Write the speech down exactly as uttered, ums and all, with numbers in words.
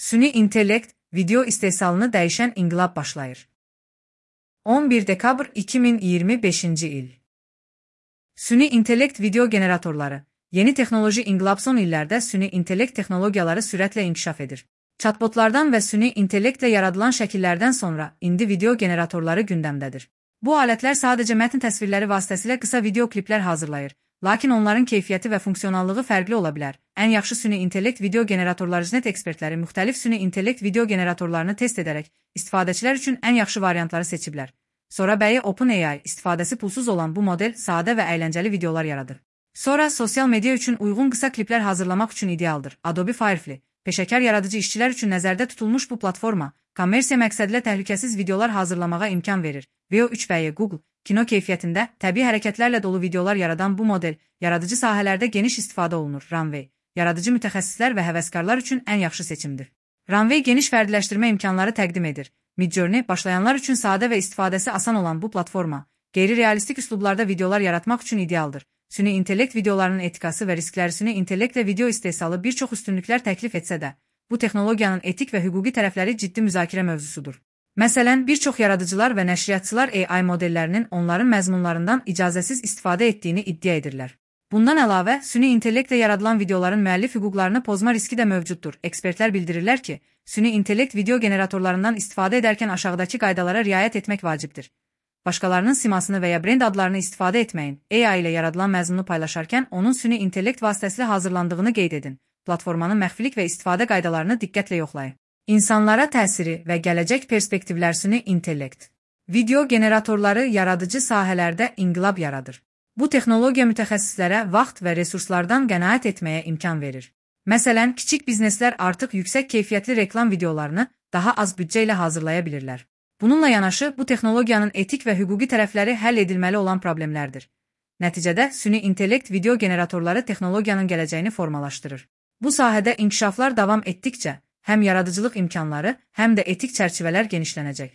Süni intellekt, video istehsalını dəyişən inqilab başlayır. on bir dekabr iki min iyirmi beşinci il. Süni intellekt video generatorları. Yeni texnoloji inqilab son illərdə süni intellekt texnologiyaları sürətlə inkişaf edir. Chatbotlardan və süni intellektlə yaradılan şəkillərdən sonra indi video generatorları gündəmdədir. Bu alətlər sadəcə mətn təsvirləri vasitəsilə qısa video kliplər hazırlayır, lakin onların keyfiyyəti və funksionallığı fərqli ola bilər. Ən yaxşı süni intellekt video generatorları net ekspertləri müxtəlif süni intellekt video generatorlarını test edərək istifadəçilər üçün ən yaxşı variantları seçiblər. Sonra bəyi OpenAI istifadəsi pulsuz olan bu model sadə və əyləncəli videolar yaradır. Sonra sosial media üçün uyğun qısa kliplər hazırlamaq üçün idealdır. Adobe Firefly, peşəkar yaradıcı işçilər üçün nəzərdə tutulmuş bu platforma, kommersiya məqsədilə təhlükəsiz videolar hazırlamağa imkan verir. Veo üç və Google, kino keyfiyyətində, təbii hərəkətlərlə dolu videolar yaradan bu model, yaradıcı sahələrdə geniş istifadə olunur. Runway, yaradıcı mütəxəssislər və həvəskarlar üçün ən yaxşı seçimdir. Runway geniş fərdiləşdirmə imkanları təqdim edir. Midjourney, başlayanlar üçün sadə və istifadəsi asan olan bu platforma, qeyri-realistik üslublarda videolar yaratmaq üçün idealdır. Süni intellekt videolarının etikası və riskləri süni intellektlə video istehsalı bir çox üstünlüklər təklif etsə də, bu texnologiyanın etik və hüquqi tərəfləri ciddi müzakirə mövzusudur. Məsələn, bir çox yaradıcılar və nəşriyyatçılar A I modellərinin onların məzmunlarından icazəsiz istifadə etdiyini iddia edirlər. Bundan əlavə, süni intellektlə yaradılan videoların müəllif hüquqlarını pozma riski də mövcuddur. Ekspertlər bildirirlər ki, süni intellekt video generatorlarından istifadə edərkən aşağıdakı qaydalara riayət etmək vacibdir. Başqalarının simasını və ya brend adlarını istifadə etməyin. A I ilə yaradılan məzmunu paylaşarkən onun süni intellekt vasitəsilə hazırlandığını qeyd edin. Platformanın məxfilik və istifadə qaydalarını diqqətlə yoxlayın. İnsanlara təsiri və gələcək perspektivlər süni intellekt. Video generatorları yaradıcı sahələrdə inqilab yaradır. Bu texnologiya mütəxəssislərə vaxt və resurslardan qənaət etməyə imkan verir. Məsələn, kiçik bizneslər artıq yüksək keyfiyyətli reklam videolarını daha az büdcə ilə hazırlaya bilirlər. Bununla yanaşı, bu texnologiyanın etik və hüquqi tərəfləri həll edilməli olan problemlərdir. Nəticədə, süni intellekt video generatorları texnologiyanın gələcəyini formalaşdırır. Bu sahədə inkişaflar davam etdikcə, həm yaradıcılıq imkanları, həm də etik çərçivələr genişlənəcək.